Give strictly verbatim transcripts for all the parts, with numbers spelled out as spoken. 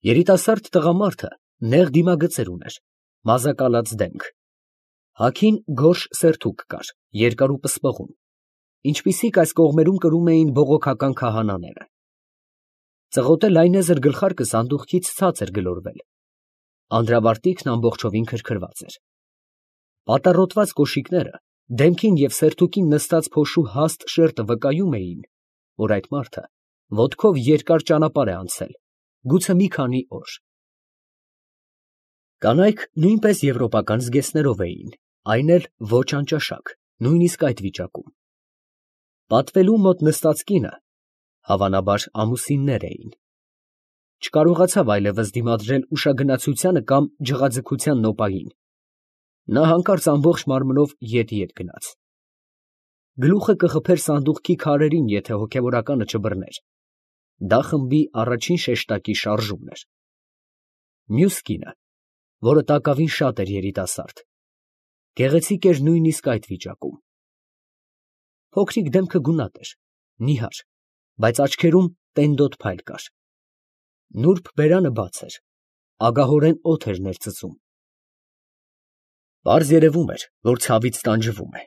Երիտասարդ տղամարդը նեղ դիմագծեր ուներ, մազակալած դեմք, հագին գորշ սերթուկ կար, երկար ու պսպղուն, ինչպիսիք այս կողմերում կրում էին բողոքական քահանաները. ծղոտե լայնեզր գլխարկը սանդուղքից ցած էր գլորվել, անդրավարտիքն ամբողջովին քրքրված էր, պատառոտված կոշիկները դեմքին և սերթուկին նստած փոշու հաստ շերտը վկայում էին, որ այդ մարդը ոտքով երկար ճանապարհ է անցել, գուցե մի քանի օր։ Կանայք նույնպես եվրոպական զգեստներով էին, այն էլ ոչ անճաշակ, նույնիսկ այդ վիճակում։ Պատվելու մոտ նստած կինը, հավանաբար, ամուսիններ էին։ Չկարողացավ այլևս դիմադրել ուշագնացությանը կամ ջղաձգության նոպային, նա հանկարծ ամբողջ մարմնով ետ֊ետ գնաց։ Գլուխը կխփեր սանդուղքի քարերին, եթե հոգևորականը չբռներ, դա խմբի առաջին շեշտակի շարժումն էր։ Մյուս կինը, որը տակավին շատ էր երիտասարդ, գեղեցիկ էր նույնիսկ այդ վիճակում։ Փոքրիկ դեմքը գունատ էր, նիհար, բայց աչքերում տենդոտ փայլ կար։ Նուրբ բերանը բաց էր, ագահորեն օդ էր ներծծում։ Պարզ երևում էր, որ ցավից տանջվում է,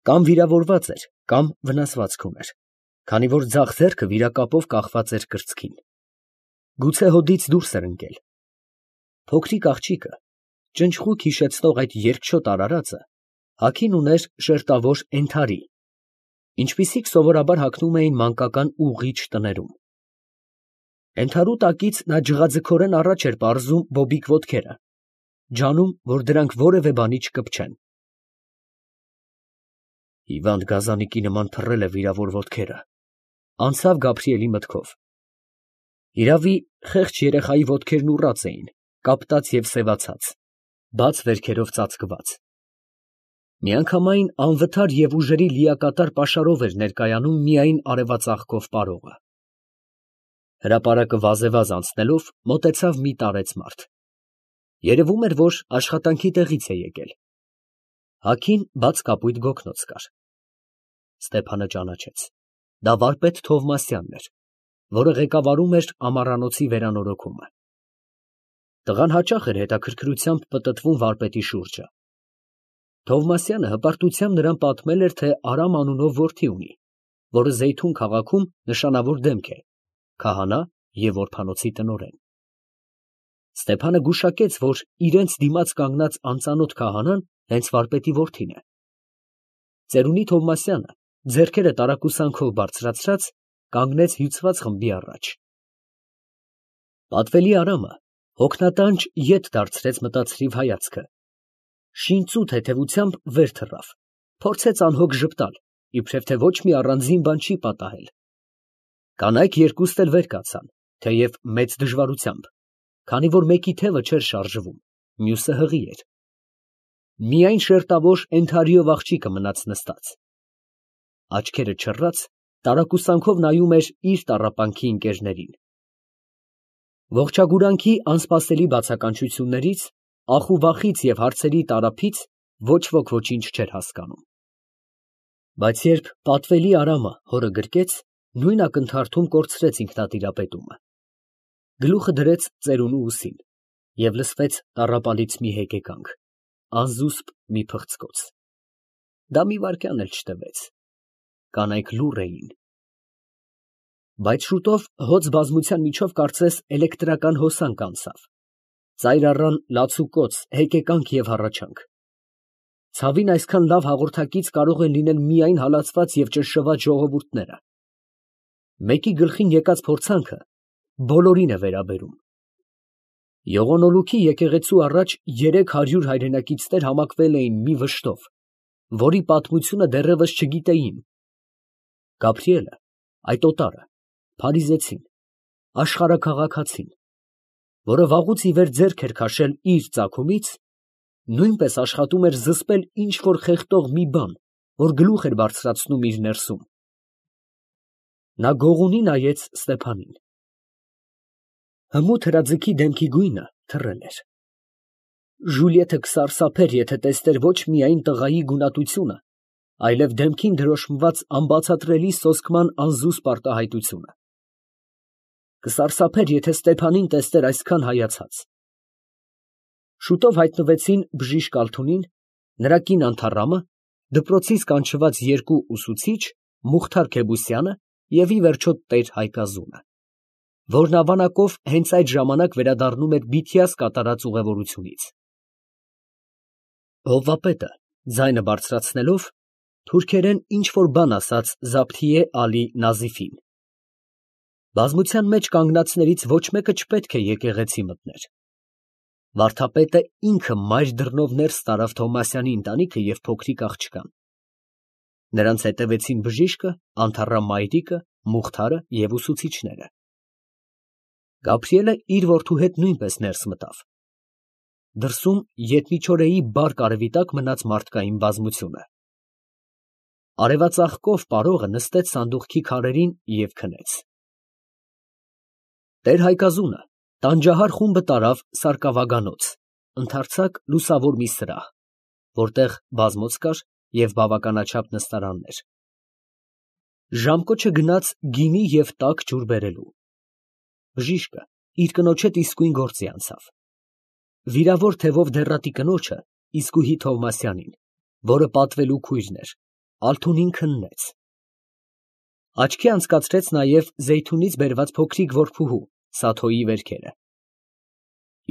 կամ վիրավորված էր, կամ վնասվածք ուներ, քանի որ ձախ ձեռքը վիրակապով կախված էր կրծքին։ Գուցե հոդից դուրս էր ընկել։ Փոքրիկ աղջիկը, ճնճղուկ հիշեցնող այդ երկչոտ արարածը, հագին ուներ շերտավոր ենթարի, ինչպիսիք սովորաբար հագնում էին մանկական ուղղիչ տներում։ Ենթարու տակից նա ջղաձգորեն առաջ էր պարզում բոբիկ ոտքերը, ջանում, որ դրանք որևէ բանի չկպչեն։ Հիվանդ գազանիկի նման թռել է վիրավոր ոտքերը, անցավ Գաբրիելի մտքով։ Հիրավի, խեղճ երեխայի ոտքերն ուռած էին, կապտած և սևացած, բաց վերքերով ծածկված։ Միանգամայն անվթար և ուժերի լիակատար պաշարով էր ներկայանում միայն արևածաղկով պարողը։ Հրապարակը վազեվազ անցնելով մոտեցավ մի տարեց մարդ։ Երևում էր, որ աշխատանքի տեղից է եկել։ Հագին բաց կապույտ գոգնոց կար։ Ստեփանը ճանաչեց. դա վարպետ Թովմասյանն էր, որը ղեկավարում էր ամառանոցի վերանորոգումը։ Տղան հաճախ էր հետաքրքրությամբ պտտվում վարպետի շուրջը։ Թովմասյանը հպարտությամբ նրան պատմել էր, թե Արամ անունով որդի ունի, որը Զեյթուն քաղաքում նշանավոր դեմք է, քահանա և օրբանոցի տնօրեն։ Ստեփանը գուշակեց, որ իրենց դիմաց կանգնած անծանոթ քահանան հենց վարպետի որդին է։ Ծերունի Թովմասյանը, ձեռքերը տարակուսանքով բարձրացրած, կանգնեց հյուծված խմբի առաջ։ Պատվելի Արամը հոգնատանջ ետ դարձրեց մտածրիվ հայացքը, շինծու թեթևությամբ վեր թռավ, փորձեց անհոգ ժպտալ, իբրև թե ոչ մի առանձին բան չի պատահել։ Կանայք երկուստ էլ վեր կացան, թեև մեծ դժվարությամբ, քանի որ մեկի թևը չէր շարժվում, մյուսը հղի էր։ Միայն շերտավոր ենթարիով աղջիկը մնաց նստած։ Աչքերը չռած, տարակուսանքով նայում էր իր տառապանքի ընկերներին։ Ողջագուրանքի անսպասելի բացականչություններից, ախ ու վախից և հարցերի տարափից ոչ ոք ոչինչ չէր հասկանում։ Բայց երբ պատվելի Արամը հորը գրկեց, նույն ակնթարթում կորցրեց ինքնատիրապետումը։ Գլուխը դրեց ծերունու ուսին և լսվեց տառապալից մի հեկեկանք, անզուսպ մի փղծկոց։ Դա մի վայրկյան էլ չտևեց։ Կանայք լուռ էին։ Բայց շուտով հոծ բազմության միջով կարծես էլեկտրական հոսանք անցավ, ծայր առան լացուկոծ, հեկեկանք և հառաչանք։ Ցավին այսքան լավ հաղորդակից կարող են լինել միայն հալածված և ճնշված ժողովուրդները։ Մեկի գլխին եկած փորձանքը բոլորին է վերաբերում։ Եղոնոլուքի եկեղեցու առաջ երեք հարյուր հայրենակիցներ համակվել էին մի վշտով, որի պատմությունը դեռևս չգիտեին։ Գաբրիելը, այդ օտարը, փարիզեցին, աշխարհաքաղաքացին, որը վաղուց ի վեր ձեռք էր քաշել իր ծագումից, նույնպես աշխատում էր զսպել ինչ֊որ խեղդող մի բան, որ գլուխ էր բարձրացնում իր ներսում։ Նա գողունի նայեց Ստեփանին։ Հմուտ հրաձգի դեմքի գույնը թռել էր։ Ժուլիեթը կսարսափեր, եթե տեսներ ոչ միայն տղայի գունատությունը, այլև դեմքին դրոշմված անբացատրելի սոսկման անզուսպ արտահայտությունը։ կսարսափեր, եթե Ստեփանին տեսներ այսքան հայացած։ Շուտով հայտնվեցին բժիշկ Ալթունին, նրա կին Անթառամը, դպրոցից կանչված երկու ուսուցիչ, Մուխթար Քեբուսյանը և ի վերջո տեր Հայկազունը, որն ավանակով հենց այդ ժամանակ վերադառնում էր Բիթյաս կատարած ուղևորությունից։ Հովվապետը, ձայնը բարձրացնելով, թուրքերեն ինչ֊որ բան ասաց Զաբթիե Ալի Նազիֆին։ Բազմության մեջ կանգնածներից ոչ մեկը չպետք է եկեղեցի մտներ։ Վարդապետը ինքը մայր դռնով ներս տարավ Թովմասյանի ընտանիքը և փոքրիկ աղջկան։ Նրանց հետևեցին բժիշկը, Անթառամ մայրիկը, Մուխթարը և ուսուցիչները։ Գաբրիելը իր որդու հետ նույնպես ներս մտավ։ Դրսում ետմիչորեի բարկ արևի տակ մնաց մարդկային բազմությունը։ Արևածաղկով պարողը նստեց սանդուղքի քարերին և քնեց։ Տեր Հայկազունը տանջահար խումբը տարավ Սարկավագանոց, ընդարձակ լուսավոր մի սրահ, որտեղ բազմոց կար և բավականաչափ նստարաններ։ Ժամկոչը գնաց գինի և տաք ջուր բերելու։ Բժիշկը իր կնոջ հետ իսկույն գործի անցավ։ Վիրավոր թևով դեռատի կնոջը, իսկույի Թովմասյանին, որը պատվելու քույրն էր, Ալթունին քննեց։ Աչքի անցկացրեց նաև Զեյթունից բերված փոքրիկ որբուհու Սաթոյի վերքերը։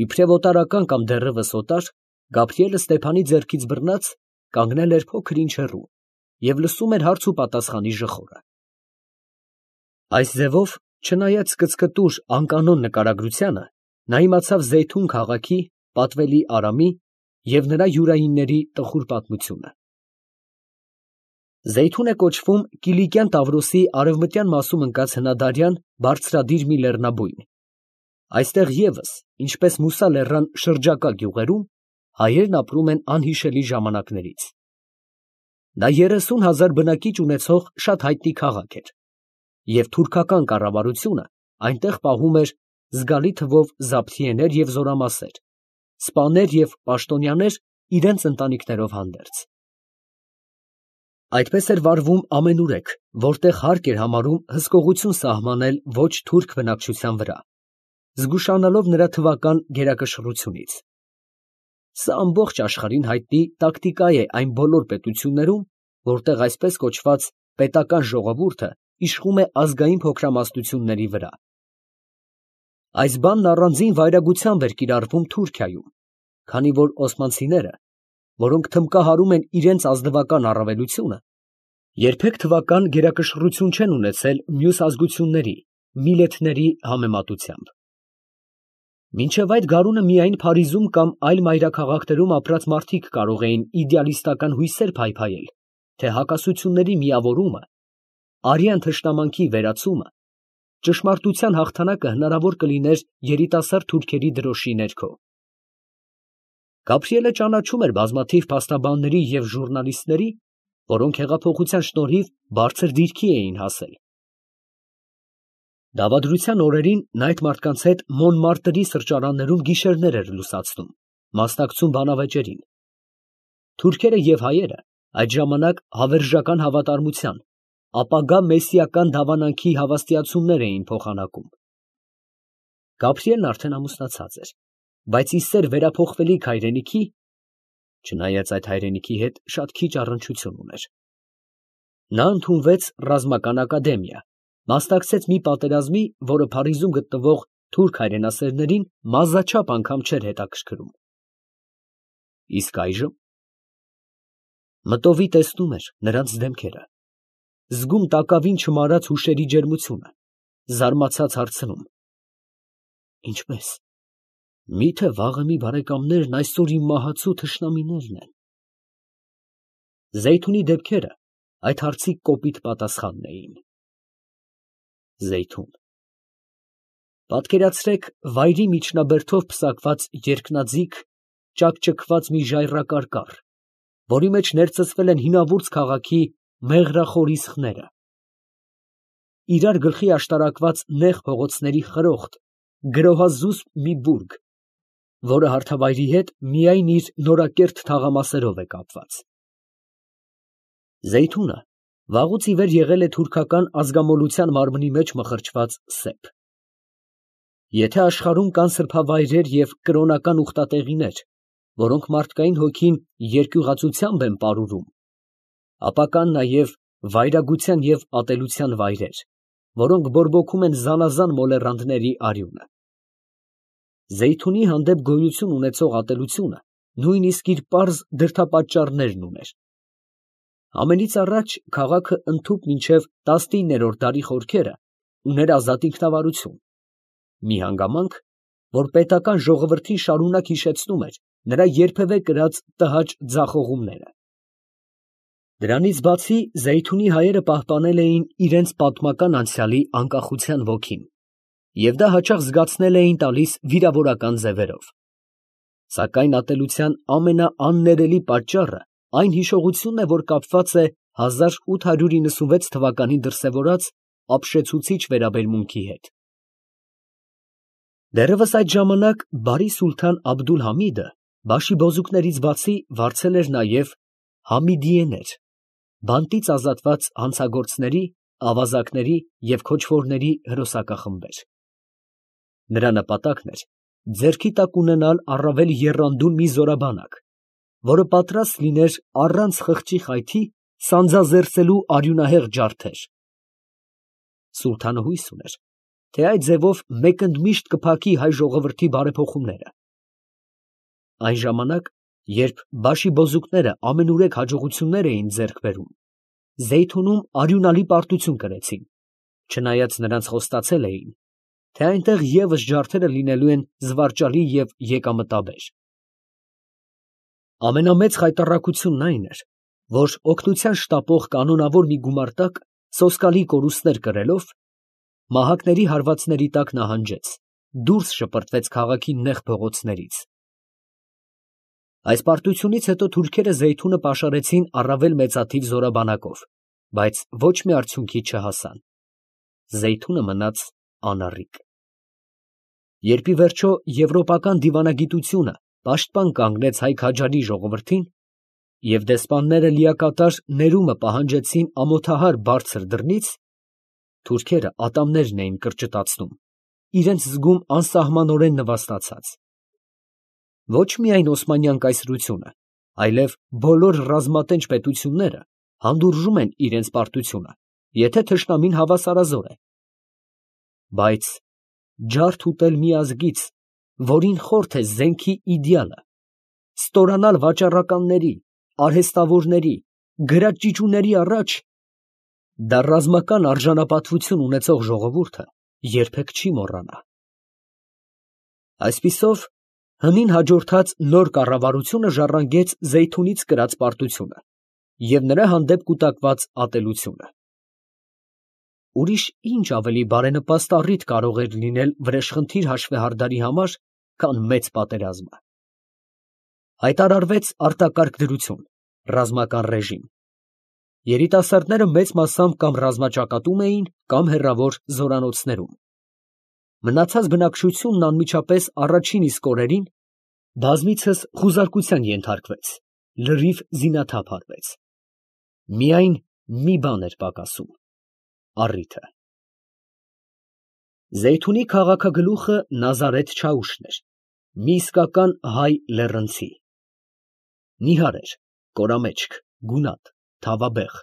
Իբրև օտարական կամ դեռևս օտար, Գաբրիելը Ստեփանի ձեռքից բռնած կանգնել էր փոքր ինչ հեռու և լսում էր հարց ու պատասխանի ժխորը։ Այս ձևով, չնայած կծկտուր անկանոն նկարագրությանը, նա իմացավ Զեյթուն քաղաքի, պատվելի Արամի և նրա յուրայինների տխուր պատմությունը։ Զեյթուն է կոչվում Կիլիկյան Տավրոսի արևմտյան մասում ընկած հնադարյան բարձրադիր մի լեռնաբույն։ Այստեղ ևս, ինչպես Մուսա լեռան շրջակա գյուղերում, հայերն ապրում են անհիշելի ժամանակներից։ Դա երեսուն հազար բնակիչ ունեցող շատ հայտնի քաղաք էր, և թուրքական կառավարությունը այնտեղ պահում էր զգալի թվով զաբթիեներ և զորամասեր, սպաներ և պաշտոնյաներ իրենց ընտանիքներով հանդերձ։ Այդպես էր վարվում ամենուրեք, որտեղ հարկ էր համարում հսկողություն սահմանել ոչ թուրք բնակչության վրա, զգուշանալով նրա թվական գերակշռությունից։ Սա ամբողջ աշխարհին հայտնի տակտիկա է այն բոլոր պետություններում, որտեղ այսպես կոչված պետական ժողովուրդը իշխում է ազգային փոքրամասնությունների վրա։ Այս բանն առանձին վայրագությամբ էր կիրառվում Թուրքիայում, քանի որ օսմանցիները, որոնք թմկահարում են իրենց ազնվական առավելությունը, երբեք թվական գերակշռություն չեն ունեցել մյուս ազգությունների, միլեթների համեմատությամբ։ Մինչև այդ գարունը միայն Փարիզում կամ այլ մայրաքաղաքներում ապրած մարդիկ կարող էին իդեալիստական հույսեր փայփայել, թե հակասությունների միավորումը, արյան թշնամանքի վերացումը, ճշմարտության հաղթանակը հնարավոր կլիներ երիտասարդ թուրքերի դրոշի ներքո։ Գաբրիելը ճանաչում էր բազմաթիվ փաստաբանների և ժուռնալիստների, որոնք հեղափոխության շնորհիվ բարձր դիրքի էին հասել։ Դավադրության օրերին նա այդ մարդկանց հետ Մոնմարտրի սրճարաններում գիշերներ էր լուսացնում, մասնակցում բանավեճերին։ Թուրքերը և հայերը այդ ժամանակ հավերժական հավատարմության, ապագա մեսսիական դավանանքի հավաստիացումներ էին փոխանակում։ Գաբրիելն արդեն ամուսնացած էր, բայց ի սեր վերափոխվելիք հայրենիքի, չնայած այդ հայրենիքի հետ շատ քիչ առնչություն ուներ, նա ընդունվեց ռազմական ակադեմիա, մասնակցեց մի պատերազմի, որը Փարիզում գտնվող թուրք հայրենասերներին մազաչափ անգամ չէր հետաքրքրում։ Իսկ այժմ մտովի տեսնում էր նրանց դեմքերը, զգում տակավին չմարած հուշերի ջերմությունը, զարմացած հարցնում. ինչպե՞ս, մի՞թե վաղը մի բարեկամներն այսօր իմ մահացու թշնամիներն են։ Զեյթունի դեպքերը այդ հարցի կոպիտ պատասխանն էին։ Զեյթուն։ Պատկերացրեք վայրի միջնաբերդով պսակված երկնաձիգ, ճաքճքված մի ժայռակար կառ, որի մեջ ներծծվել են հինավուրց քաղաքի մեղրախոր իսխները, իրար գլխի աշտարակված նեղ փողոցների խրոխտ, գրոհազուսպ մի բուրգ, որը հարթավայրի հետ միայն իր նորակերտ թաղամասերով է կապված։ Զեյթունը վաղուց ի վեր եղել է թուրքական ազգամոլության մարմնի մեջ մխրճված սեփ։ Եթե աշխարհում կան սրբավայրեր և կրոնական ուխտատեղիներ, որոնք մարդկային հոգին երկյուղածությամբ են պարուրում, ապա կան նաև վայրագության և ատելության վայրեր, որոնք բորբոքում են զանազան մոլեռանդների արյունը։ Զեյթունի հանդեպ գոյություն ունեցող ատելությունը նույնիսկ իր պարզ դրդապատճառներն ուներ։ Ամենից առաջ քաղաքը ընդհուպ մինչև տասնիններորդ դարի խորքերը ուներ ազատ ինքնավարություն, մի հանգամանք, որ պետական ժողովրդին շարունակ հիշեցնում էր նրա երբևէ կրած տհաճ ձախողումները։ Դրանից բացի Զեյթունի հայերը պահպանել էին իրենց պատմական անցյալի անկախության ոգին և դա հաճախ զգացնել էին տալիս վիրավորական ձևերով։ Սակայն ատելության ամենաաններելի պատճառը այն հիշողությունն է, որ կապված է հազար ութ հարյուր իննսունվեց թվականին դրսևորած ապշեցուցիչ վերաբերմունքի հետ։ Դեռևս այդ ժամանակ բարի սուլթան Աբդուլ֊Համիդը բաշիբոզուկներից բացի վարձել էր նաև համիդիեներ, բանտից ազատված հանցագործների, ավազակների և քոչվորների հրոսակախմբեր։ Նրա նպատակն էր ձեռքի տակ ունենալ առավել եռանդուն մի զորաբանակ, որը պատրաստ լիներ առանց խղճի խայթի սանձազերծելու արյունահեղ ջարդեր։ Սուլթանը հույս ուներ, թե այդ ձևով մեկընդմիշտ կփակի հայ ժողովրդի բարեփոխումները։ Այն ժամանակ, երբ բաշիբոզուկները ամենուրեք հաջողություններ էին ձեռք բերում, Զեյթունում արյունալի պարտություն կրեցին, չնայած նրանց խոստացել էին, թե այնտեղ ևս ջարդերը լինելու են զվարճալի և եկամտաբեր։ Ամենամեծ խայտառակությունն այն էր, որ օգնության շտապող կանոնավոր մի գումարտակ սոսկալի կորուստներ կրելով, մահակների հարվածների տակ նահանջեց, դուրս շպրտվեց քաղաքի նեղ փողոցներից։ Այս պարտությունից հետո թուրքերը Զեյթունը պաշարեցին առավել մեծաթիվ զորաբանակով, բայց ոչ մի արդյունքի չհասան։ Զեյթունը մնաց անառիկ։ Երբ ի վերջո եվրոպական դիվանագիտությունը պաշտպան կանգնեց հայ քաջարի ժողովրդին, և դեսպանները լիակատար ներումը պահանջեցին ամոթահար բարձր դռնից, թուրքերը ատամներն էին կրճտացնում, իրենց զգում անսահմանորեն նվաստացած։ Ոչ միայն Օսմանյան կայսրությունը, այլև բոլոր ռազմատենչ պետությունները հանդուրժում են իրենց պարտությունը, եթե թշնամին հավասարազոր է։ Բայց ջարդ ուտել մի ազգից, որին խորթ է զենքի իդեալը, ստորանալ վաճառականների, արհեստավորների, գրաճիճուների առաջ, դա ռազմական արժանապատվություն ունեցող ժողովուրդը երբեք չի մոռանա։ Այսպիսով, հնին հաջորդած նոր կառավարությունը ժառանգեց Զեյթունից կրած պարտությունը և նրա հանդեպ կուտակված ատելությունը։ Ուրիշ ինչ ավելի բարենպաստ առիթ կարող էր լինել վրեժխնդիր հաշվեհարդարի համար, քան մեծ պատերազմը։ Հայտարարվեց արտակարգ դրություն, ռազմական ռեժիմ։ Երիտասարդները մեծ մասամբ կամ ռազմաճակատում էին, կամ հեռավոր զորանոցներում։ Մնացած բնակչությունն անմիջապես առաջին իսկ օրերին բազմիցս խուզարկության ենթարկվեց, լրիվ զինաթափ արվեց։ Միայն մի բան էր պակասում՝ առիթը։ Զեյթունի քաղաքագլուխը Նազարեթ Չաուշն էր, մի իսկական հայ լեռնցի։ Նիհար էր, կորամեջք, գունատ, թավաբեղ,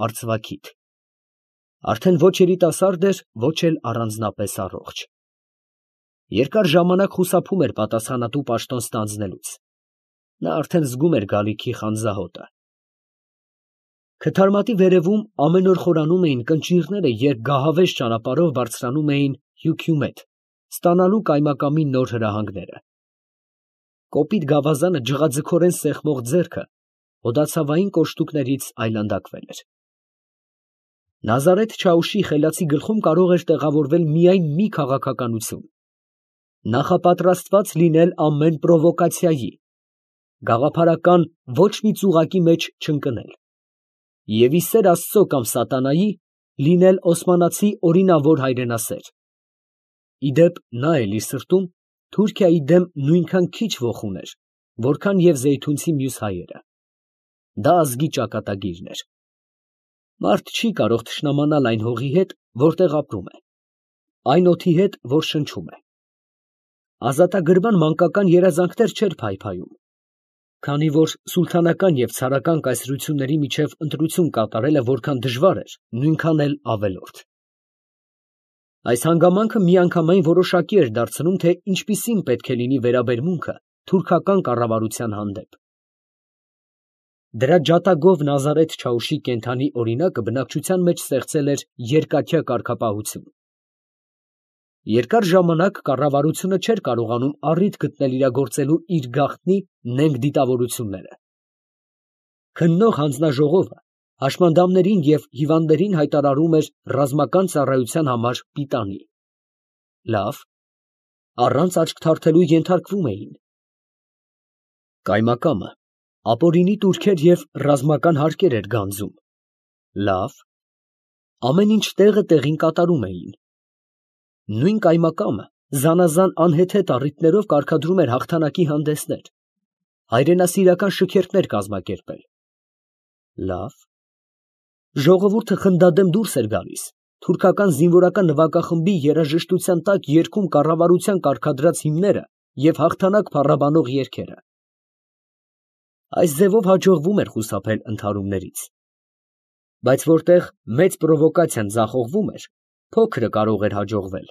արծվաքիթ։ Արդեն ոչ երիտասարդ էր, ոչ էլ առանձնապես առողջ։ Երկար ժամանակ խուսափում էր պատասխանատու պաշտոն ստանձնելուց։ Նա արդեն զգում էր գալիքի խանձահոտը։ Քթարմատի վերևում ամեն օր խորանում էին կնճիռները, երբ գահավեժ ճանապարհով բարձրանում էին Հյուքյումեթ, ստանալու կայմակամի նոր հրահանգները։ Կոպիտ գավազանը ջղաձգորեն սեղմող ձեռքը հոդացավային կոշտուկներից այլանդակվել էր։ Նազարեթ Չաուշի խելացի գլխում կարող էր տեղավորվել միայն մի քաղաքականություն՝ նախապատրաստված լինել ամեն պրովոկացիայի, գաղափարական ոչ մի ծուղակի մեջ չընկնել և ի սեր Աստծո կամ սատանայի լինել օսմանացի օրինավոր հայրենասեր։ Ի դեպ, նա էլ իր սրտում Թուրքիայի դեմ նույնքան քիչ ոխ ուներ, որքան և զեյթունցի մյուս հայերը։ Դա ազգի ճակատագիրն էր։ Մարդ չի կարող թշնամանալ այն հողի հետ, որտեղ ապրում է, այն օդի հետ, որ շնչում է։ ազատագրման մանկական երազանքներ չէր փայփայում, քանի որ սուլթանական և ցարական կայսրությունների միջև ընտրություն կատարելը որքան դժվար էր, նույնքան էլ ավելորդ։ Այս հանգամանքը միանգամայն որոշակի էր դարձնում, թե ինչպիսին պետք է լինի վերաբերմունքը թուրքական կառավարության հանդեպ։ Դրա ջատագով Նազարեթ Չաուշի կենդանի օրինակը բնակչության մեջ ստեղծել էր երկաթյա կարգապահություն։ Երկար ժամանակ կառավարությունը չէր կարողանում առիթ գտնել իրագործելու իր գաղտնի նենգ դիտավորությունները։ Քննող հանձնաժողովը հաշմանդամներին և հիվանդներին հայտարարում էր ռազմական ծառայության համար պիտանի։ Լավ, առանց աչք թարթելու ենթարկվում էին։ Կայմակամը ապօրինի տուրքեր և ռազմական հարկեր էր գանձում։ Լավ, ամեն ինչ տեղը տեղին կատարում էին։ Նույն կայմակամը զանազան անհեթեթ առիթներով կարգադրում էր հաղթանակի հանդեսներ, հայրենասիրական շքերթներ կազմակերպել։ Լավ, ժողովուրդը խնդադեմ դուրս էր գալիս, թուրքական զինվորական նվագախմբի երաժշտության տակ երգում կառավարության կարգադրած հիմները և հաղթանակ փառաբանող երգերը։ Այս ձևով հաջողվում էր խուսափել ընդհարումներից, բայց որտեղ մեծ պրովոկացիան ձախողվում էր, փոքրը կարող էր հաջողվել։